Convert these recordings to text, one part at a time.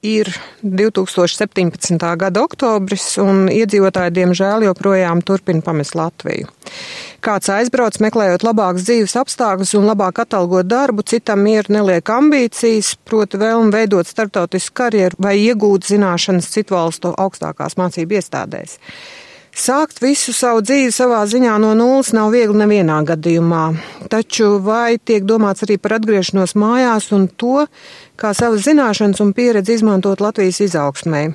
Ir 2017. gada oktobris, un iedzīvotāji diemžēl joprojām turpina pamest Latviju. Kāds aizbrauc, meklējot labākas dzīves apstākļus un labāk atalgot darbu, citam mieru neliek ambīcijas, proti vēlmi veidot starptautisku karjeru vai iegūt zināšanas citu valstu augstākās mācību iestādēs. Sākt visu savu dzīvi savā ziņā no nulles nav viegli nevienā gadījumā, taču vai tiek domāts arī par atgriešanos mājās un to, kā savas zināšanas un pieredzi izmantot Latvijas izaugsmē.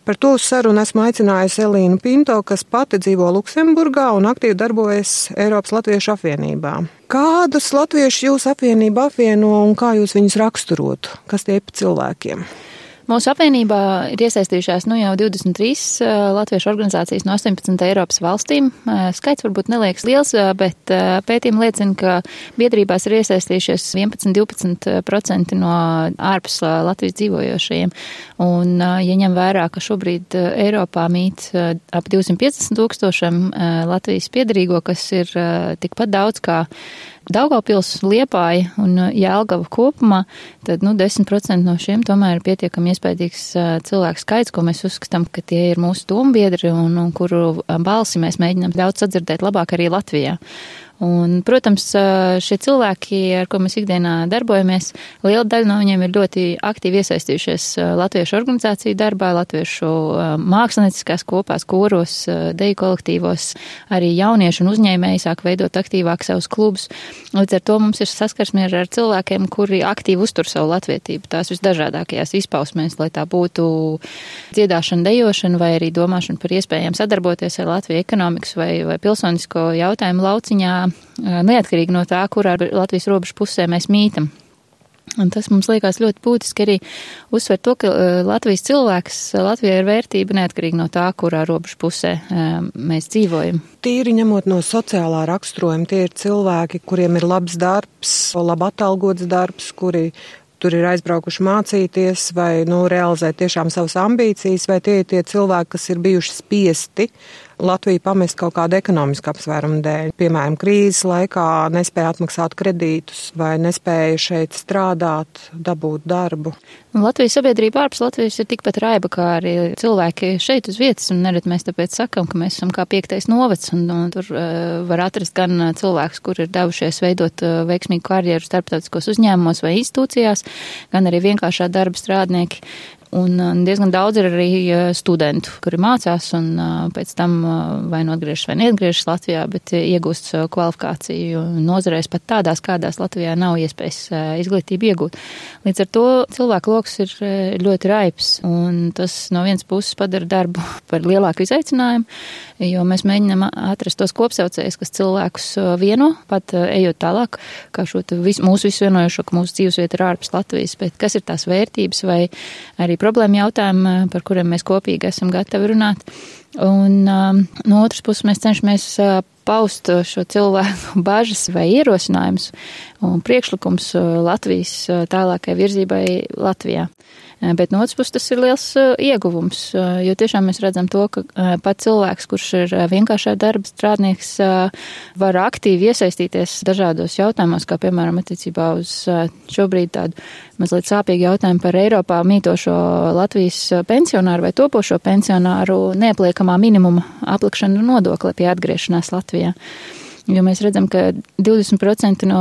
Par to uz sarunu esmu aicinājusi Elīnu Pinto, kas pati dzīvo Luksemburgā un aktīvi darbojas Eiropas Latviešu apvienībā. Kādus latviešus jūs apvienība apvieno un kā jūs viņus raksturotu? Kas tie ir pa cilvēkiem? Mūsu apvienībā ir iesaistījušās jau 23 latviešu organizācijas no 18 Eiropas valstīm. Skaits varbūt neliekas liels, bet pētījumi liecina, ka biedrībās ir iesaistījušies 11–12% no ārpus Latvijas dzīvojošajiem. Un, ja ņem vērā, ka šobrīd Eiropā mīt ap 250,000 Latvijas piedarīgo, kas ir tikpat daudz kā Daugavpils, Liepāja un Jelgava kopumā, tad 10% no šiem tomēr ir pietiekami iespējīgs cilvēku skaits, ko mēs uzskatām, ka tie ir mūsu dombiedri un kuru balsi mēs mēģinām daudz sadzirdēt labāk arī Latvijā. Un, protams, šie cilvēki, ar ko mēs ikdienā darbojamies, liela daļa no viņiem ir ļoti aktīvi iesaistījušies latviešu organizāciju darbā, latviešu mākslinieckās kopās, koros, deju kolektīvos, arī jaunieši un uzņēmēji sāk veidot aktīvāk savus klubus. Līdz ar to mums ir saskarsme ar cilvēkiem, kuri aktīvi uztur savu latvietību, tās visdažādākajās izpausmēs, lai tā būtu dziedāšana, dejošana vai arī domāšana par iespējām sadarboties ar Latviju ekonomikas vai pilsonisko jautājumu lauciņā, neatkarīgi no tā, kurā Latvijas robežu pusē mēs mītam. Un tas mums liekas ļoti būtiski arī uzsver to, ka Latvijas cilvēks Latvijā ir vērtība neatkarīgi no tā, kurā robežu pusē mēs dzīvojam. Tīri ņemot no sociālā raksturojuma, tie ir cilvēki, kuriem ir labs darbs, labi atalgots darbs, kuri tur ir aizbraukuši mācīties vai realizēt tiešām savas ambīcijas, vai tie ir tie cilvēki, kas ir bijuši spiesti Latviju pamest kaut kādu ekonomisku apsvērumu dēļ. Piemēram, krīzes laikā nespēja atmaksāt kredītus vai nespēja šeit strādāt, dabūt darbu. Latvijas sabiedrība ārpus Latvijas ir tikpat raiba, kā arī cilvēki šeit uz vietas, un nerad mēs tāpēc sakam, ka mēs esam kā 5. novads, un tur var atrast gan cilvēkus, kur ir devušies veidot veiksmīgu karjeru starptautiskos uzņēmumos vai institūcijās, gan arī vienkāršā darba strādnieki. Un diezgan daudz ir arī studentu, kuri mācās un pēc tam vai atgriežas vai neatgriežas Latvijā, bet iegūst kvalifikāciju nozarēs pat tādās, kādās Latvijā nav iespējas izglītību iegūt. Līdz ar to cilvēku loks ir ļoti raips, un tas no vienas puses padara darbu par lielāku izaicinājumu, jo mēs mēģinām atrast tos kopsaucējus, kas cilvēkus vieno, pat ejot tālāk, kā šo mūsu visu vienojošo, ka mūsu dzīvesvieta ir ārpus Latvijas, bet kas ir tās vērtības vai arī problēma jautājumi, par kuriem mēs kopīgi esam gatavi runāt. Un no otras puses mēs cenšamies paust šo cilvēku bažas vai ierosinājumus un priekšlikums Latvijas tālākai virzībai Latvijā. Bet no otras puses tas ir liels ieguvums, jo tiešām mēs redzam to, ka pat cilvēks, kurš ir vienkāršā darba strādnieks, var aktīvi iesaistīties dažādos jautājumos, kā piemēram attiecībā uz šobrīd tādu mazliet sāpīgu jautājumu par Eiropā mītošo Latvijas pensionāru vai topošo pensionāru neapliekamā minimuma aplikšanu nodokli pie atgriešanās Latvijā. Jo mēs redzam, ka 20% no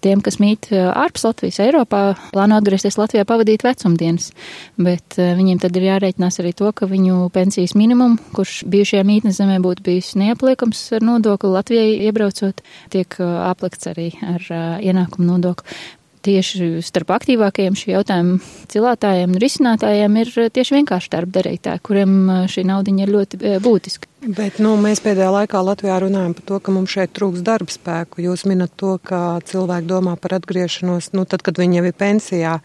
tiem, kas mīt ārpus Latvijas, Eiropā, plāno atgriezties Latvijā pavadīt vecumdienas, bet viņiem tad ir jārēķinās arī to, ka viņu pensijas minimumu, kurš bijušajā mītnes zemē būtu bijis neapliekams ar nodokli Latvijai iebraucot, tiek aplikts arī ar ienākumu nodokli. Tieši starp aktīvākajiem šī jautājuma cilātājiem un risinātājiem ir tieši vienkārši darba darītāji, kuriem šī naudiņa ir ļoti būtiska. Bet mēs pēdējā laikā Latvijā runājam par to, ka mums šeit trūks darba spēku. Jūs minat to, ka cilvēki domā par atgriešanos, tad, kad viņi jau ir pensijā.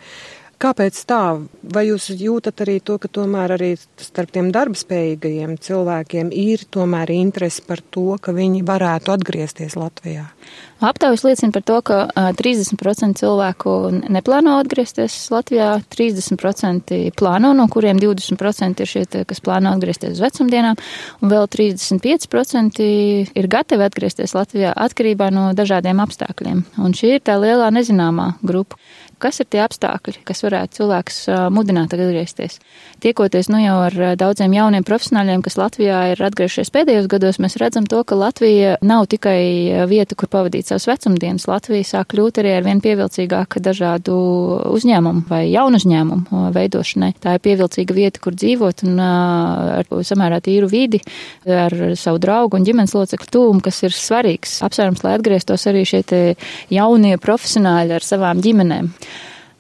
Kāpēc tā? Vai jūs jūtat arī to, ka tomēr arī starp tiem darbspējīgajiem cilvēkiem ir tomēr interesi par to, ka viņi varētu atgriezties Latvijā? Aptaujas liecina par to, ka 30% cilvēku neplāno atgriezties Latvijā, 30% plāno, no kuriem 20% ir šie, kas plāno atgriezties uz vecumdienām, un vēl 35% ir gatavi atgriezties Latvijā atkarībā no dažādiem apstākļiem. Un šī ir tā lielā nezināmā grupa. kas ir tie apstākļi, kas varētu cilvēkus mudināt atgriezties. Tiekoties jau ar daudziem jauniem profesionāļiem, kas Latvijā ir atgriežies pēdējos gados, mēs redzam to, ka Latvija nav tikai vieta, kur pavadīt savas vecumdienas. Latvija sāk kļūt arī arvien pievilcīgāka dažādu uzņēmumu vai jaunu uzņēmumu veidošanai. Tā ir pievilcīga vieta, kur dzīvot un ar samērā tīru vidi, ar savu draugu un ģimenes locekļu tūmu, kas ir svarīgs apsvērums, lai atgrieztos arī šie jaunie profesionāļi ar savām ģimenēm.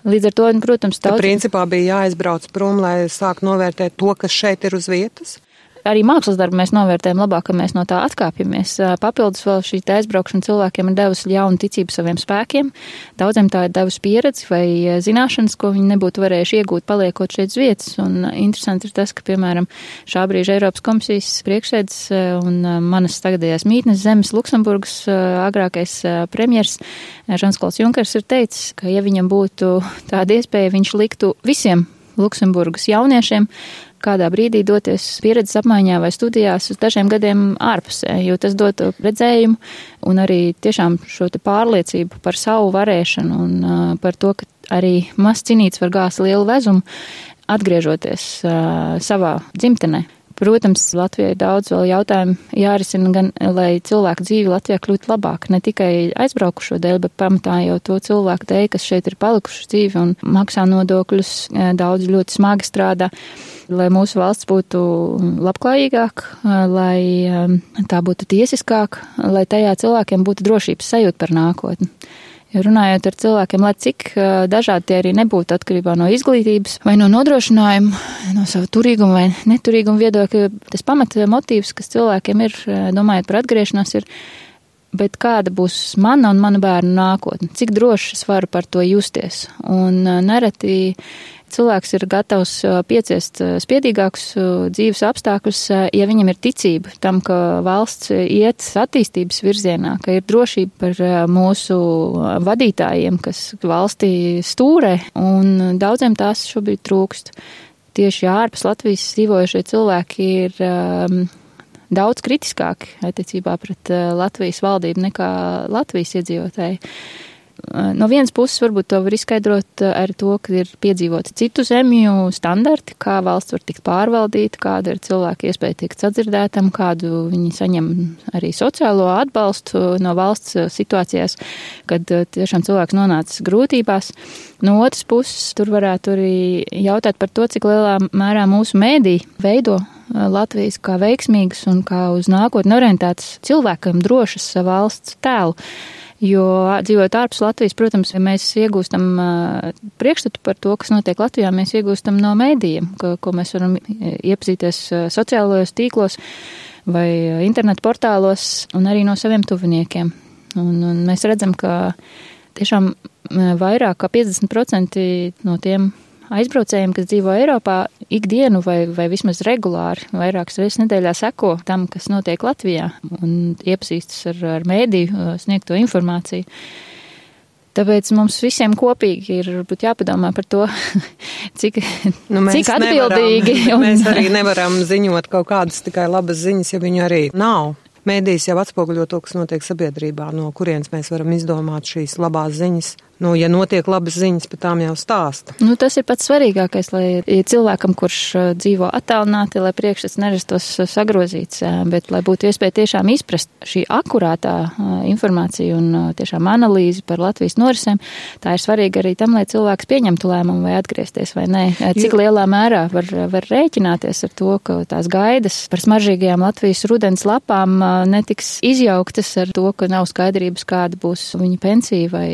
Līdz ar to, protams, principā bija jāaizbrauc prom, lai sāk novērtēt to, kas šeit ir uz vietas? Arī mākslas darbu mēs novērtējam labāk, ka mēs no tā atkāpjamies. Papildus vēl šī aizbraukšana cilvēkiem ir devusi jaunu ticību saviem spēkiem. Daudziem tā ir devusi pieredzi vai zināšanas, ko viņi nebūtu varējuši iegūt, paliekot šeit uz vietas. Un interesanti ir tas, ka, piemēram, šā brīža Eiropas komisijas priekšsēdis un manas tagadējās mītnes zemes Luksemburgas agrākais premjers Žans-Klods Junkers ir teicis, ka, ja viņam būtu tāda iespēja, viņš liktu visiem Luksemburgas jauniešiem kādā brīdī doties pieredzes apmaiņā vai studijās uz dažiem gadiem ārpusē, jo tas dod redzējumu un arī tiešām šo te pārliecību par savu varēšanu un par to, ka arī mazs cinīts var gāzt lielu vezumu, atgriežoties savā dzimtenē. Protams, Latvijai daudz vēl jautājumu jārisina gan, lai cilvēku dzīve Latvijā kļūtu labāk, ne tikai aizbraukušo dēļ, bet pamatā jau to cilvēku dēļ, kas šeit ir palikuši dzīvi un maksā nodokļus, daudz ļoti smagi strādā, lai mūsu valsts būtu labklājīgāka, lai tā būtu tiesiskāka, lai tajā cilvēkiem būtu drošības sajūta par nākotni. Ja runājot ar cilvēkiem, lai cik dažādi tie arī nebūtu atkarībā no izglītības vai no nodrošinājuma, no sava turīguma vai neturīguma viedokļa, tas pamata motīvs, kas cilvēkiem ir, domājot par atgriešanos, ir, bet kāda būs mana un mana bērnu nākotne, cik droši es varu par to justies. Un nereti cilvēks ir gatavs pieciest spiedīgākus dzīves apstākļus, ja viņam ir ticība tam, ka valsts iet attīstības virzienā, ka ir drošība par mūsu vadītājiem, kas valstī stūrē, un daudziem tās šobrīd trūkst. Tieši ārpus Latvijas dzīvojušie cilvēki ir daudz kritiskāki attiecībā pret Latvijas valdību nekā Latvijas iedzīvotāji. No vienas puses varbūt to var izskaidrot ar to, ka ir piedzīvoti citu zemju standarti, kā valsts var tikt pārvaldīta, kāda ir cilvēka iespēja tikt sadzirdētam, kādu viņi saņem arī sociālo atbalstu no valsts situācijās, kad tiešām cilvēks nonācis grūtībās. No otras puses, tur varētu arī jautāt par to, cik lielā mērā mūsu mēdī veido Latvijas kā veiksmīgas un kā uz nākotni orientētas cilvēkam drošas valsts tēlu. Jo dzīvot ārpus Latvijas, protams, ja mēs iegūstam priekšstatu par to, kas notiek Latvijā, mēs iegūstam no mēdījiem, ko mēs varam iepazīties sociālajos tīklos vai internetu portālos un arī no saviem tuviniekiem. Un mēs redzam, ka tiešām vairāk kā 50% no tiem aizbraucējiem, kas dzīvo Eiropā, ikdienu vai vismaz regulāri, vairākas reizes nedēļā seko tam, kas notiek Latvijā un iepazīstas ar mēdīju sniegto informāciju. Tāpēc mums visiem kopīgi ir jāpadomā par to, cik atbildīgi. Mēs arī nevaram ziņot kaut kādas tikai labas ziņas, ja viņu arī nav. Mēdījis jau atspoguļo to, kas notiek sabiedrībā, no kurienes mēs varam izdomāt šīs labās ziņas. Ja notiek labas ziņas, bet tām jau stāsta. Tas ir pats svarīgākais, lai cilvēkam, kurš dzīvo attālināti, lai priekšstats nerastos sagrozīts, bet lai būtu iespēja tiešām izprast šī akurātā informācija un tiešām analīzi par Latvijas norisēm, tā ir svarīga arī tam, lai cilvēks pieņemtu lēmumu vai atgriezties vai nē. Cik lielā mērā var rēķināties ar to, ka tās gaidas par smaržīgajām Latvijas rudens lapām netiks izjauktas ar to, ka nav skaidrības, kāda būs viņa pensija vai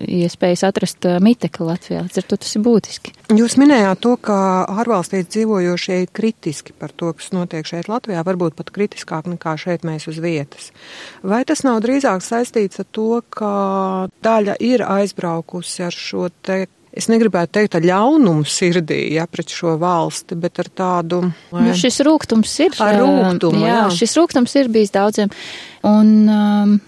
iespējas atrast mitekli Latvijā. Līdz ar to tas ir būtiski. Jūs minējāt to, ka ārvalstīs dzīvojošie ir kritiski par to, kas notiek šeit Latvijā, varbūt pat kritiskāk nekā šeit mēs uz vietas. Vai tas nav drīzāk saistīts ar to, ka daļa ir aizbraukusi ar šo te, es negribētu teikt ar ļaunumu sirdī, pret šo valsti, bet ar tādu... šis rūgtums ir. Ar rūgtumu, jā. Šis rūgtums ir bijis daudziem. Un...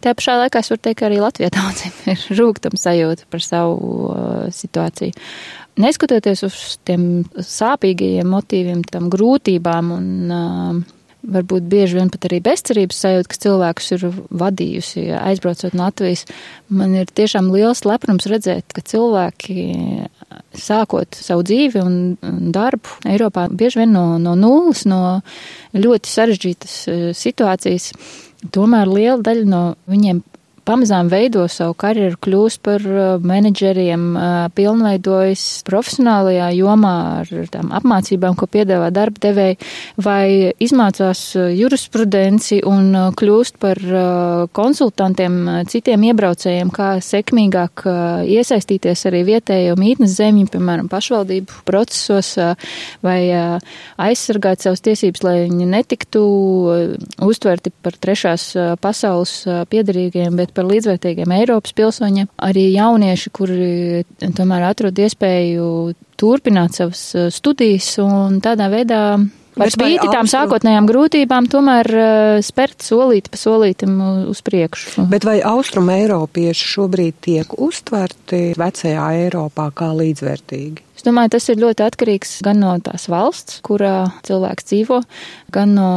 Tā pašā laikā es varu teikt, ka arī Latvijā daudziem ir rūgtuma sajūta par savu situāciju. Neskatoties uz tiem sāpīgajiem motīviem, tam grūtībām un varbūt bieži vien pat arī bezcerības sajūta, kas cilvēkus ir vadījusi, aizbraucot no Latvijas. Man ir tiešām liels lepnums redzēt, ka cilvēki, sākot savu dzīvi un darbu Eiropā, bieži vien no nulles, no ļoti sarežģītas situācijas, tomēr liela daļa no viņiem pamazām veido savu karjeru, kļūst par menedžeriem, pilnveidojas profesionālajā jomā ar tām apmācībām, ko piedāvā darba devēji, vai izmācās jurisprudenci un kļūst par konsultantiem citiem iebraucējiem, kā sekmīgāk iesaistīties arī vietējo mītnes zemju, piemēram, pašvaldību procesos, vai aizsargāt savas tiesības, lai viņi netiktu uztverti par trešās pasaules piederīgiem, bet par līdzvērtīgiem Eiropas pilsoņiem. Arī jaunieši, kuri tomēr atrod iespēju turpināt savas studijas un tādā veidā par spīti tām sākotnējām grūtībām tomēr spērt solīti pa solītim uz priekšu. Bet vai Austrum Eiropieši šobrīd tiek uztverti vecajā Eiropā kā līdzvērtīgi? Es domāju, tas ir ļoti atkarīgs gan no tās valsts, kurā cilvēks dzīvo, gan no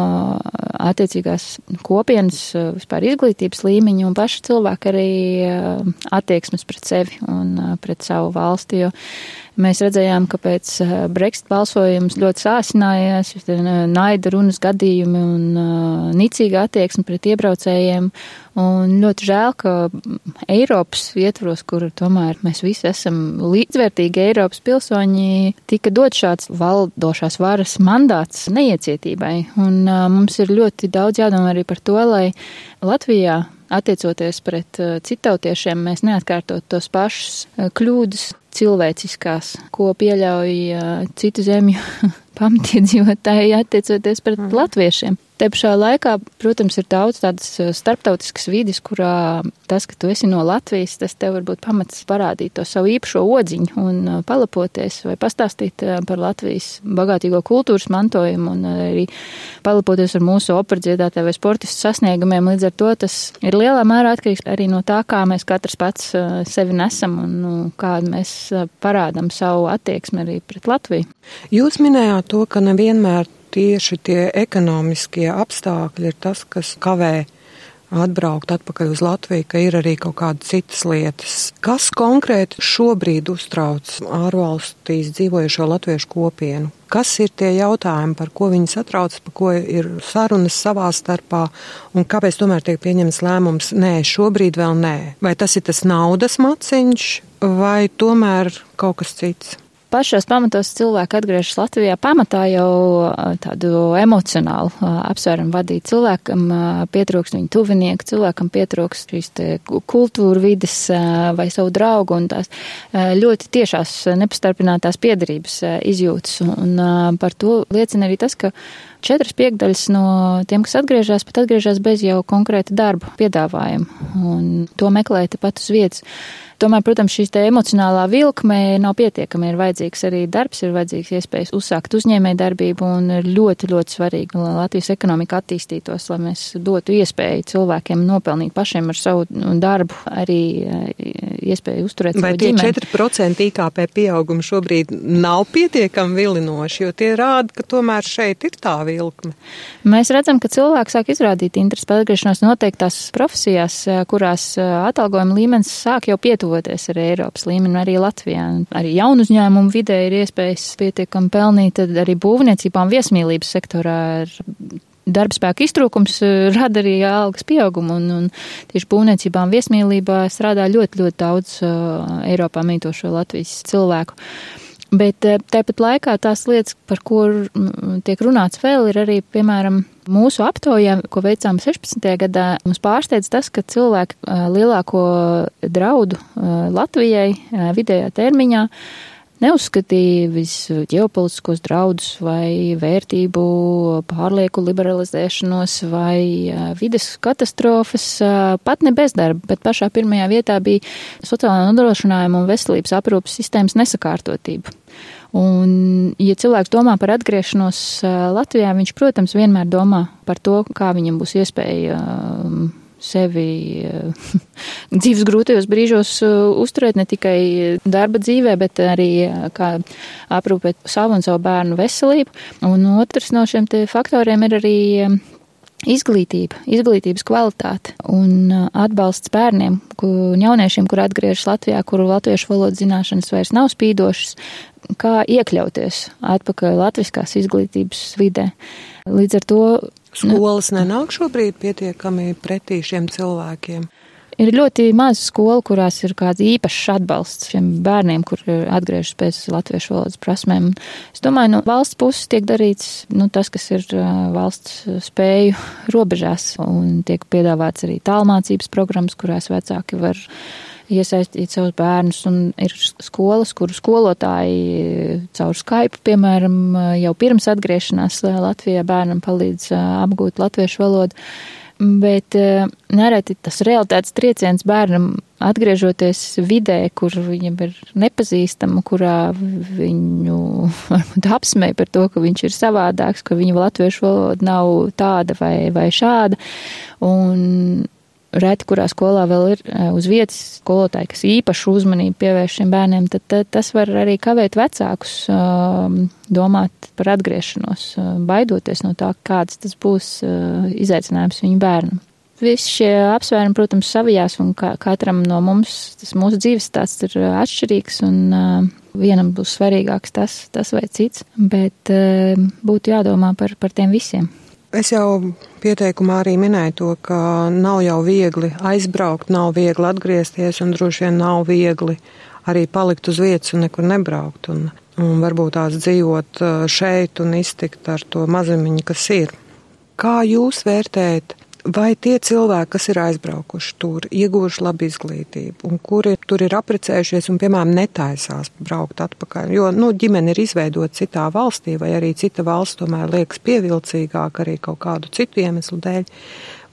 attiecīgās kopienas vispār izglītības līmeņa un paša cilvēka arī attieksmes pret sevi un pret savu valsti, jo mēs redzējām, ka pēc Brexit balsojums ļoti sāsinājās, naida runas gadījumi un nicīga attieksme pret iebraucējiem. Un ļoti žēl, ka Eiropas ietvaros, kur tomēr mēs visi esam līdzvērtīgi Eiropas pilsoņi, tika dot šāds valdošās varas mandāts neiecietībai. Un mums ir ļoti daudz jādomā arī par to, lai Latvijā, attiecoties pret citautiešiem, mēs neatkārtot tos pašus kļūdas cilvēciskās, ko pieļauj citu zemju pamatiedzīvotāji attiecoties pret latviešiem. Te pašā laikā, protams, ir daudz tādas starptautiskas vides, kurā tas, ka tu esi no Latvijas, tas tev varbūt pamats parādīt to savu īpašo odziņu un palapoties vai pastāstīt par Latvijas bagātīgo kultūras mantojumu un arī palapoties ar mūsu operdziedātāju vai sportistu sasniegumiem. Līdz ar to tas ir lielā mērā atkarīgs arī no tā, kā mēs katrs pats sevi nesam un kā mēs parādam savu attieksmi arī pret Latviju. Jūs minējāt to, ka nevienmēr tieši tie ekonomiskie apstākļi ir tas, kas kavē atbraukt atpakaļ uz Latviju, ka ir arī kaut kādas citas lietas. Kas konkrēti šobrīd uztrauc ārvalstīs dzīvojušo latviešu kopienu? Kas ir tie jautājumi, par ko viņi satrauc, par ko ir sarunas savā starpā un kāpēc tomēr tiek pieņemts lēmums, nē, šobrīd vēl nē? Vai tas ir tas naudas maciņš vai tomēr kaut kas cits? Pašos pamatos cilvēki atgriežas Latvijā pamatā jau tādu emocionālu apsvērumu vadīt. Cilvēkam pietrūkst viņu tuvinieku, cilvēkam pietrūkst šīs kultūra vides vai savu draugu un tās ļoti tiešās nepastarpinātās piederības izjūtas. Un par to liecina arī tas, ka 4/5 no tiem, kas atgriežas, pat atgriežas bez jau konkrēta darba piedāvājuma un to meklē tepat uz vietas. Tomēr, protams, šīs te emocionālā vilkme nav pietiekama. Ir vajadzīgs arī darbs, ir vajadzīgs iespējas uzsākt uzņēmēju darbību un ir ļoti, ļoti svarīgi, lai Latvijas ekonomika attīstītos, lai mēs dotu iespēju cilvēkiem nopelnīt pašiem ar savu darbu, arī iespēju uzturēt savu ģimeni. Vai tie 4% IKP pieaugumi šobrīd nav pietiekami vilinoši, jo tie rāda, ka tomēr šeit ir tā vilkme? Mēs redzam, ka cilvēki sāk izrādīt interesi par atgriešanos noteiktās profesijās, kurās atalgojuma līmenis sāk jau pietuvoties arī Eiropas līmeni, arī Latvijā. Arī jaunu uzņēmumu vidē ir iespējas pietiekami pelnīt, tad arī būvniecībā un viesmīlības sektorā ir darbspēka iztrūkums rada arī algas pieaugumu, un tieši būvniecībā un viesmīlībā strādā ļoti, ļoti daudz Eiropā mītošo Latvijas cilvēku. Bet tāpat laikā tās lietas, par ko tiek runāts vēl, ir arī, piemēram, mūsu aptaujā, ko veicām 16. gadā, mums pārsteidz tas, ka cilvēki lielāko draudu Latvijai vidējā termiņā neuzskatīja visu ģeopolitiskos draudus vai vērtību pārlieku liberalizēšanos vai vides katastrofas, pat ne bezdarba, bet pašā pirmajā vietā bija sociālā nodrošinājuma un veselības aprūpes sistēmas nesakārtotība. Un, ja cilvēks domā par atgriešanos Latvijā, viņš, protams, vienmēr domā par to, kā viņam būs iespēja sevi dzīves grūtajos brīžos uzturēt ne tikai darba dzīvē, bet arī kā aprūpēt savu un savu bērnu veselību. Un otrs no šiem te faktoriem ir arī izglītības kvalitāte un atbalsts bērniem un jauniešiem, kur atgriežas Latvijā, kuru latviešu valodas zināšanas vairs nav spīdošas, kā iekļauties atpakaļ latviskās izglītības vidē. Līdz ar to skolas nenāk šobrīd pietiekami pretī šiem cilvēkiem. Ir ļoti maz skolu, kurās ir kāds īpašs atbalsts šiem bērniem, kur atgriežas pēc latviešu valodas prasmēm. Es domāju, no valsts puses tiek darīts tas, kas ir valsts spēju robežās, un tiek piedāvāts arī tālmācības programmas, kurās vecāki var iesaistīt savus bērnus, un ir skolas, kuru skolotāji caur Skype, piemēram, jau pirms atgriešanās Latvijā bērnam palīdz apgūt latviešu valodu. Bet nereti tas realitātes trieciens bērnam atgriežoties vidē, kur viņam ir nepazīstama, kurā viņu varbūt apsmēja par to, ka viņš ir savādāks, ka viņa latviešu valoda nav tāda vai šāda. Un reti, kurā skolā vēl ir uz vietas skolotāji, kas īpašu uzmanību pievērš šiem bērniem, tad tas var arī kavēt vecākus domāt par atgriešanos, baidoties no tā, kāds tas būs izaicinājums viņu bērnam. Visi šie apsvērumi, protams, savijās, un katram no mums tas mūsu dzīves stāsts ir atšķirīgs, un vienam būs svarīgāks tas vai cits, bet būtu jādomā par tiem visiem. Es jau pieteikumā arī minēju to, ka nav jau viegli aizbraukt, nav viegli atgriezties un droši vien nav viegli arī palikt uz vietas un nekur nebraukt un varbūt tās dzīvot šeit un iztikt ar to mazumiņu, kas ir. Kā jūs vērtējat, vai tie cilvēki, kas ir aizbraukuši tur, ieguvuši labu izglītību un kuri tur ir apprecējušies un, piemēram, netaisās braukt atpakaļ, jo, ģimene ir izveidota citā valstī vai arī cita valsts tomēr liekas pievilcīgāk arī kaut kādu citu iemeslu dēļ,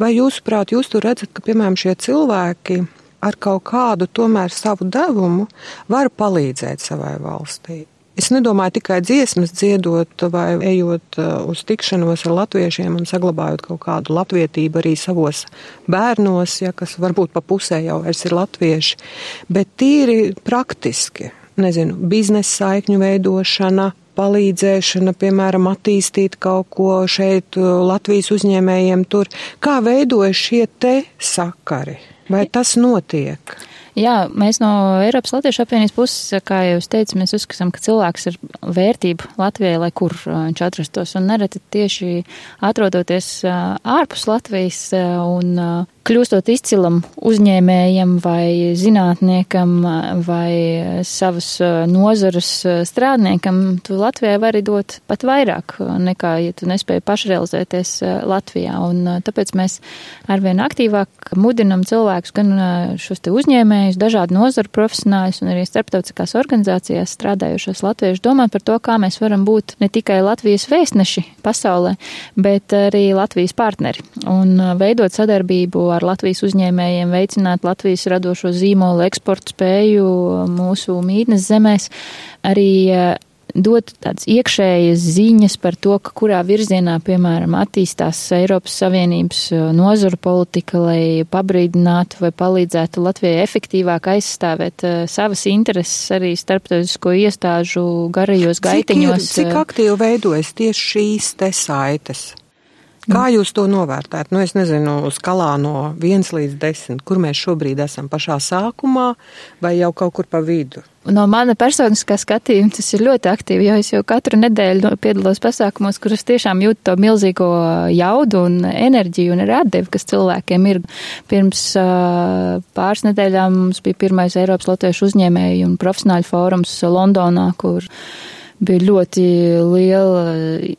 vai jūsuprāt, jūs tur redzat, ka, piemēram, šie cilvēki ar kaut kādu tomēr savu devumu var palīdzēt savai valstī? Es nedomāju tikai dziesmas dziedot vai ejot uz tikšanos ar latviešiem un saglabājot kaut kādu latvietību arī savos bērnos, kas varbūt pa pusē jau vairs ir latvieši, bet tīri praktiski, biznesa saikņu veidošana, palīdzēšana, piemēram, attīstīt kaut ko šeit Latvijas uzņēmējiem tur. Kā veidojas šie te sakari? Vai tas notiek? Jā, mēs no Eiropas Latviešu apvienības puses, kā jau es teicu, mēs uzskatām, ka cilvēks ir vērtība Latvijai, lai kur viņš atrastos. Un nereti tieši atrodoties ārpus Latvijas un kļūstot izcilam uzņēmējam vai zinātniekam vai savas nozares strādniekam, tu Latvijai vari dot pat vairāk nekā, ja tu nespēji pašrealizēties Latvijā. Un tāpēc mēs arvien aktīvāk mudinam cilvēkus, gan šos te uzņēmējus, dažādu nozaru profesionāļus un arī starptautiskās organizācijās strādājušos latviešus domāt par to, kā mēs varam būt ne tikai Latvijas vēstneši pasaulē, bet arī Latvijas partneri un veidot sadarbību ar Latvijas uzņēmējiem, veicināt Latvijas radošo zīmolu eksportu spēju mūsu mītnes zemēs, arī dot tādas iekšējas ziņas par to, ka kurā virzienā, piemēram, attīstās Eiropas Savienības nozaru politika, lai pabrīdinātu vai palīdzētu Latvijai efektīvāk aizstāvēt savas intereses arī starptautisko iestāžu garajos gaitiņos. Cik aktīvi veidojas tieši šīs te saites? Kā jūs to novērtējat? Es nezinu, skalā no 1 līdz 10, kur mēs šobrīd esam pašā sākumā vai jau kaut kur pa vidu? No mana personiskā skatījuma tas ir ļoti aktīvi, jo es jau katru nedēļu piedalos pasākumos, kuras tiešām jūtu to milzīgo jaudu un enerģiju un arī atdevi, kas cilvēkiem ir. Pirms pāris nedēļām mums bija pirmais Eiropas Latviešu uzņēmēju un profesionāļu fórums Londonā, kur bija ļoti liela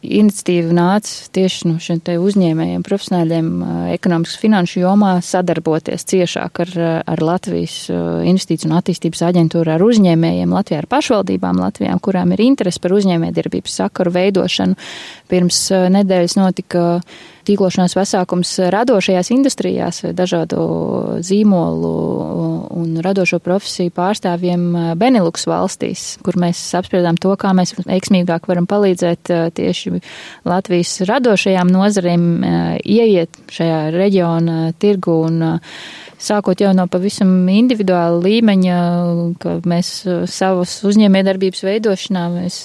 iniciatīva nāca tieši no šiem te uzņēmējiem, profesionāļiem ekonomikas finanšu jomā sadarboties ciešāk ar Latvijas investīciju un attīstības aģentūru, ar uzņēmējiem Latvijā, ar pašvaldībām Latvijām, kurām ir interesi par uzņēmējdarbības sakaru veidošanu. Pirms nedēļas notika tīklošanās pasākums radošajās industrijās, dažādu zīmolu un radošo profesiju pārstāvjiem Benelux valstīs, kur mēs apspriedām to, kā mēs veiksmīgāk varam palīdzēt tieši Latvijas radošajām nozarēm ieiet šajā reģiona tirgu un sākot jau no pavisam individuāla līmeņa, ka mēs savas uzņēmējdarbības veidošanā mēs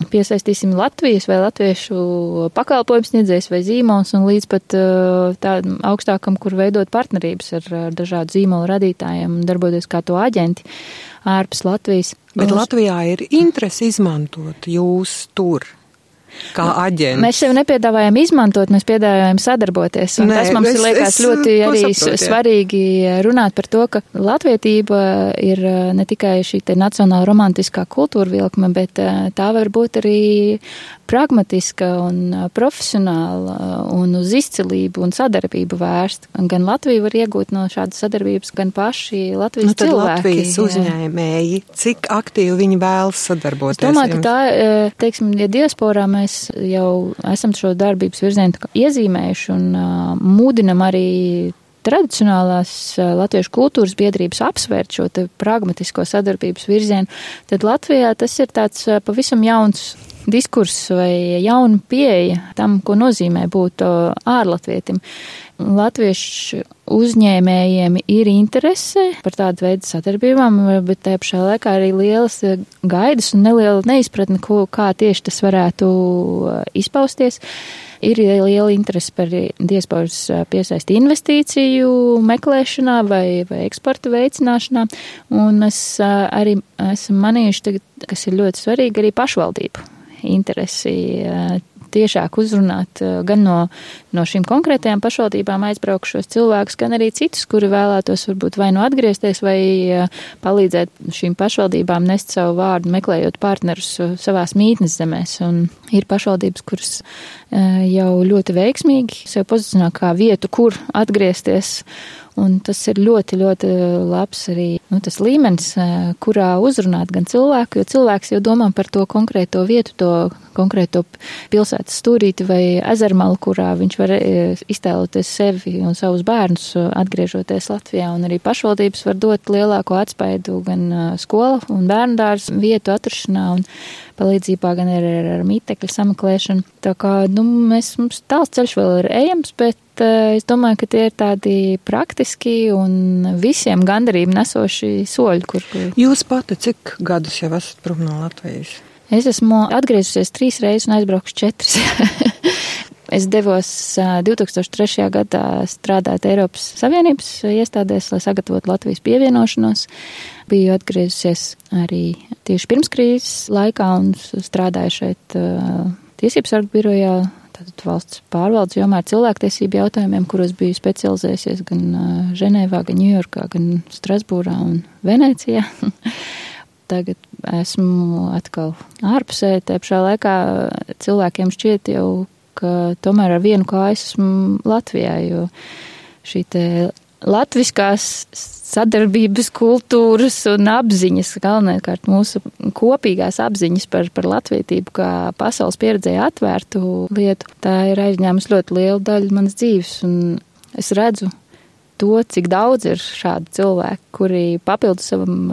piesaistīsim Latvijas vai latviešu pakalpojums sniedzējs vai zīmols un līdz pat tādam augstākam, kur veidot partnerības ar dažādu zīmolu radītājiem un darboties kā to aģenti ārpus Latvijas. Bet Latvijā ir interesi izmantot jūs tur. Kā aģents. Mēs sev nepiedāvājam izmantot, mēs piedāvājam sadarboties. Un tas mums liekas ļoti arī svarīgi runāt par to, ka latvietība ir ne tikai šī te nacionāla romantiskā kultūra vilkme, bet tā var būt arī pragmatiska un profesionāla un uz izcilību un sadarbību vērst. Gan Latvija var iegūt no šādas sadarbības, gan paši Latvijas cilvēki. Latvijas uzņēmēji, cik aktīvi viņi vēlas sadarboties? Es domāju, ka tā, teiksim, ja diasporā mēs jau esam šo darbības virzienu iezīmējuši un mūdinam arī tradicionālās latviešu kultūras biedrības apsvērt šo te pragmatisko sadarbības virzienu, tad Latvijā tas ir tāds pavisam jauns diskurss vai jauna pieeja tam, ko nozīmē būt ārlatvietim. Latviešu uzņēmējiem ir interese par tādu veidu sadarbībām, bet tajā pašā laikā arī lielas gaidas un neliela neizpratne, kā tieši tas varētu izpausties. Ir liela interese par diasporas piesaisti investīciju meklēšanā vai eksporta veicināšanā, un mēs arī esam manījuši tagad, kas ir ļoti svarīgi, arī pašvaldību interesi tiešāk uzrunāt gan no šīm konkrētajām pašvaldībām aizbraukšos cilvēkus, gan arī citus, kuri vēlētos varbūt vai nu atgriezties, vai palīdzēt šīm pašvaldībām nest savu vārdu, meklējot partnerus savās mītnes zemēs. Un ir pašvaldības, kuras jau ļoti veiksmīgi sev pozicionē kā vietu, kur atgriezties. Un tas ir ļoti, ļoti labs arī tas līmenis, kurā uzrunāt gan cilvēku, jo cilvēks jau domā par to konkrēto vietu, to konkrēto pilsētas stūrīti vai ezermalu, kurā viņš var iztēloties sevi un savus bērnus atgriežoties Latvijā. Un arī pašvaldības var dot lielāko atspaidu gan skola un bērndārs vietu atrašanā un palīdzībā, gan arī ar mītekļu sameklēšanu. Tā kā, mums tāls ceļš vēl ir ejams, bet es domāju, ka tie ir tādi praktiski un visiem gandarību nesoši soļi, Jūs pati cik gadus jau esat prom no Latvijas? Es esmu atgriezusies 3 reizes un aizbraukšu 4. Es devos 2003. gadā strādāt Eiropas Savienības iestādēs, lai sagatavotu Latvijas pievienošanos. Biju atgriezusies arī tieši pirms krīzes laikā un strādāju šeit Tiesības sargu birojā, tātad valsts pārvaldes jomā ar cilvēktiesību jautājumiem, kuros biju specializējusies gan Ženēvā, gan Ņujorkā, gan Strasbūrā un Venecijā. Tagad esmu atkal ārpusē, tā pašā laikā cilvēkiem šķiet jau, ka tomēr ar vienu kāju esmu Latvijā, jo šī te latviskās sadarbības kultūras un apziņas, galvenkārt mūsu kopīgās apziņas par latvietību kā pasaules pieredzē atvērtu lietu, tā ir aizņēmusi ļoti lielu daļu manas dzīves, un es redzu to, cik daudz ir šādu cilvēku, kuri papildus savam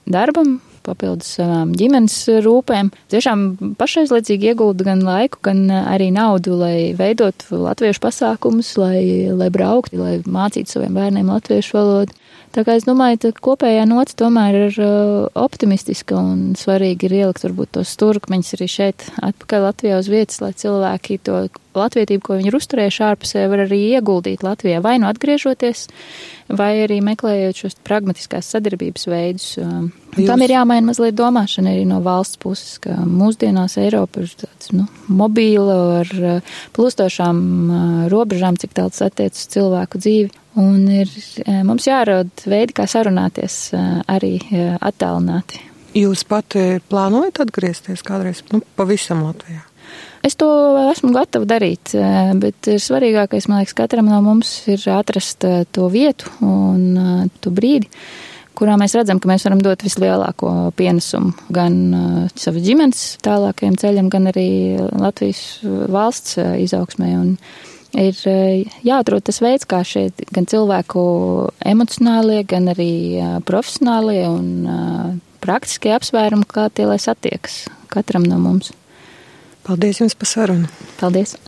darbam, papildus savām ģimenes rūpēm, tiešām pašaizliedzīgi iegulda gan laiku, gan arī naudu, lai veidotu latviešu pasākumus, lai brauktu, lai mācītu saviem bērniem latviešu valodu. Tā kā es domāju, ka kopējā nots tomēr ir optimistiska un svarīgi ir ielikt varbūt tos stūrkmeņus arī šeit atpakaļ Latvijā uz vietas, lai cilvēki to latvietību, ko viņi ir uzturējuši ārpusē, var arī ieguldīt Latvijā, vai nu atgriežoties, vai arī meklējot šos pragmatiskās sadarbības veidus. Tam ir jāmaina mazliet domāšana arī no valsts puses, ka mūsdienās Eiropa ir tāds, mobīla ar plūstošām robežām, cik tāls attiec uz cilvēku dzīvi. Un ir mums jārod veidi, kā sarunāties arī attālināti. Jūs pati plānojat atgriezties kādreiz, pavisam Latvijā? Es to esmu gatava darīt, bet ir svarīgākais, man liekas, katram no mums ir atrast to vietu un to brīdi, kurā mēs redzam, ka mēs varam dot vislielāko pienesumu gan savas ģimenes tālākajam ceļam, gan arī Latvijas valsts izaugsmē. Un ir jāatrod tas veids, kā šie gan cilvēku emocionālie, gan arī profesionālie un praktiskie apsvērumi, kā tie lai satiekas katram no mums. Paldies jums par sarunu. Paldies.